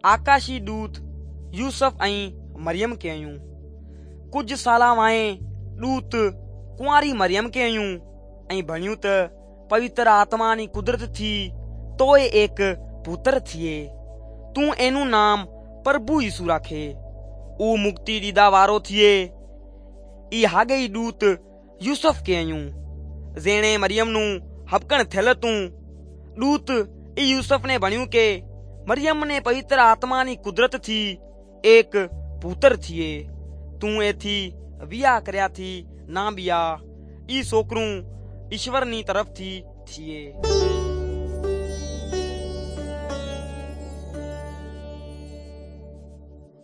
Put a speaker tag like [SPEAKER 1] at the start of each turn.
[SPEAKER 1] आकाशी दूत यूसुफ ऐं मरियम खे आयूं। कुझु साल वाए दूत कुंवारी मरियम खे आयूं ऐं भणियूं त पवित्र आत्मा नी कुदरत थी तोए एक पुत्र थिए। तू एनु नाम प्रभु यीशु राखे। ऊ मुक्ति दीदा वारो थिए। ई हागे दूत यूसुफ के आयूं जेणे मरियम नु हबकण थियल तू। दूत ई यूसुफ ने भण्यू के मरियम ने पवित्र आत्मा नी कुदरत थी एक पुत्र थिए। तू एथी वियाह करया थी ना बिया। ई सोकरू ईश्वर नी तरफ थी थिए।